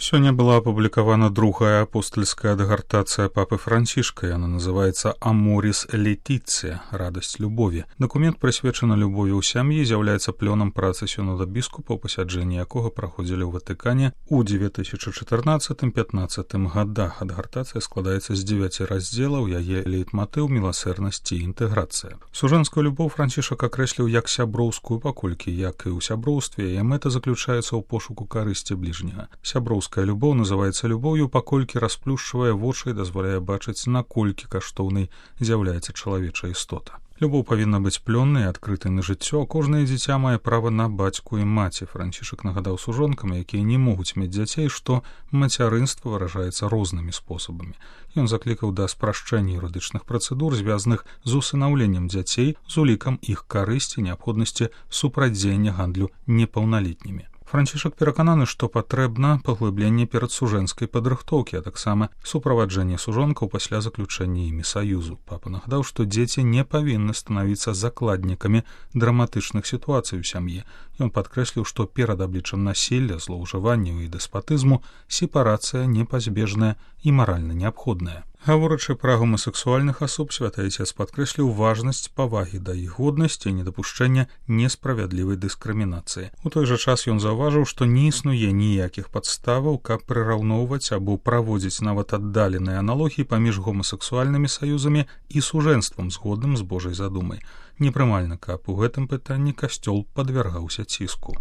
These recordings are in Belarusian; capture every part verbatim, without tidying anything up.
Сёння была апублікавана другая апостальская дагартацыя папы Францішка. Яна называецца «Аморис Летиция» – «Радасць любові». Дакумент прысвечаны любові ў сям'і, з'яўляецца плёнам працы сінода біскупаў, пасяджэнні якога праходзілі ў Ватыкане ў две тысячы чатырнаццатым — пятнаццатым гадах. Дагартацыя складаецца з дзевяці раздзелаў, яе лейтматыў міласэрнасці і інтэграцыя. Сужэнскую любоў Францішак акрэсліў як сяброўскую, паколькі, як і ў сяброўстве, яе мэта заключаецца ў пошуку карысці бліжняга. Сяброўская любоў называецца любоўю, паколькі расплюшчвае вочы і дазваляе бачыць, наколькі каштоўнай з'яўляецца чалавечая істота. Любоў павінна быць плённай і адкрытай на жыццё. Кожнае дзіця мае права на бацьку і маці. Францішак нагадаў сужонкам, якія не могуць мець дзяцей, што мацярынства выражаецца рознымі спосабамі. Ён заклікаў да спрашчэння юрыдычных працэдур, звязаных з усынаўленнем дзяцей, з улікам іх карысці, неабходнасці супрацьдзеяння гандлю непаўналетнімі. Францішак перакананы, што патрэбна паглыбленне перадсужэнскай падрыхтоўкі, а таксама суправаджэнне сужонкаў пасля заключэння імі саюзу. Папа нагадаў, што дзеці не павінны станавіцца закладнікамі драматычных сітуацый у сям'і. Ён падкрэсліў, што перад абліччам насілля, злоўжыванняў і дэспатызму сепарацыя непазбежная і маральна неабходная. Гаворачы пра гомасексуальных асоб, святы Айцец падкрэсліў важнасць павагі да іх годнасці і недапушчэння несправядлівай дыскрымінацыі. У той жа час ён заўважыў, што не існуе ніякіх падставаў, каб прыраўноўваць або праводзіць нават аддаленыя аналогіі паміж гомасексуальнымі саюзамі і сужэнствам, згодным з Божай задумай. Непрымальна, каб у гэтым пытанні касцёл падвяргаўся ціску.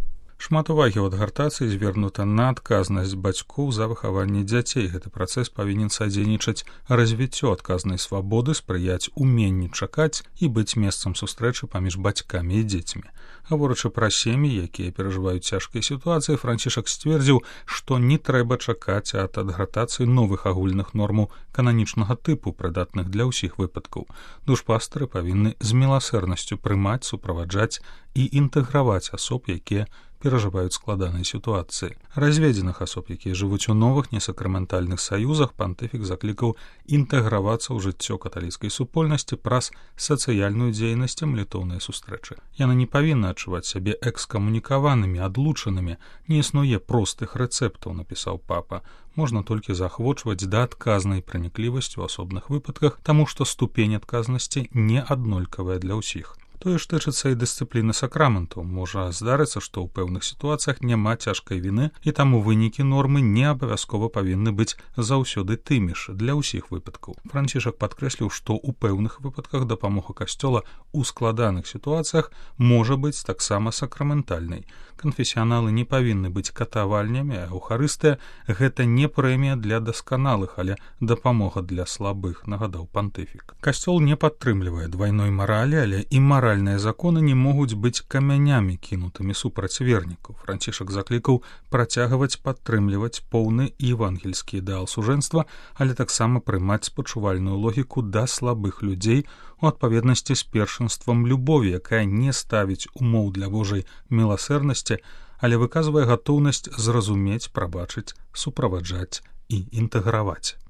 Шмат увагі ў адгартацыі звернута на адказнасць бацькоў за выхаванне дзяцей. Гэты працэс павінен садзейнічаць развіццё адказнай свабоды, спрыяць уменню чакаць і быць месцам сустрэчы паміж бацькамі і дзецьмі. Гаворачы пра сем'і, якія перажываюць цяжкія сітуацыі, Францішак сцвердзіў, што не трэба чакаць ад адгартацыі новых агульных нормаў кананічнага тыпу, прыдатных для ўсіх выпадкаў. Душпастары павінны з міласэрнасцю прымаць, суправаджаць і інтэграваць асоб, якія перажываюць складаныя сітуацыі. Разведзеных асоб, якія жывуць у новых несакраментальных саюзах, пантыфік заклікаў інтэгравацца ў жыццё каталіцкай супольнасці праз сацыяльную дзейнасць і малітоўныя сустрэчы. Яны не павінны адчуваць сябе экскамунікаванымі, адлучанымі. Не існуе простых рэцэптаў, напісаў папа. Можна толькі заахвочваць да адказнай праніклівасці ў асобных выпадках, таму што ступень адказнасці не аднолькавая для ўсіх. Тое ж тычыцца і дысцыпліны сакраментаў. Можа здарыцца, што ў пэўных сітуацыях няма цяжкай віны, і таму вынікі нормы не абавязкова павінны быць заўсёды тымі ж для ўсіх выпадкаў. Францішак падкрэсліў, што ў пэўных выпадках дапамога касцёла ў складаных сітуацыях можа быць таксама сакраментальнай. Канфесіяналы не павінны быць катавальнямі, а эўхарыстыя — гэта не прэмія для дасканалых, але дапамога для слабых, нагадаў пантыфік. Касцёл не падтрымлівае двайной маралі, але і маральныя законы не могуць быць камянямі, кінутымі супраць вернікаў. Францішак заклікаў працягваць падтрымліваць поўны евангельскі ідэал сужэнства, але таксама прымаць спачувальную логіку да слабых людзей у адпаведнасці з першынствам любові, якая не ставіць умоў для Божай міласэрнасці, але выказвае гатоўнасць зразумець, прабачыць, суправаджаць і інтэграваць.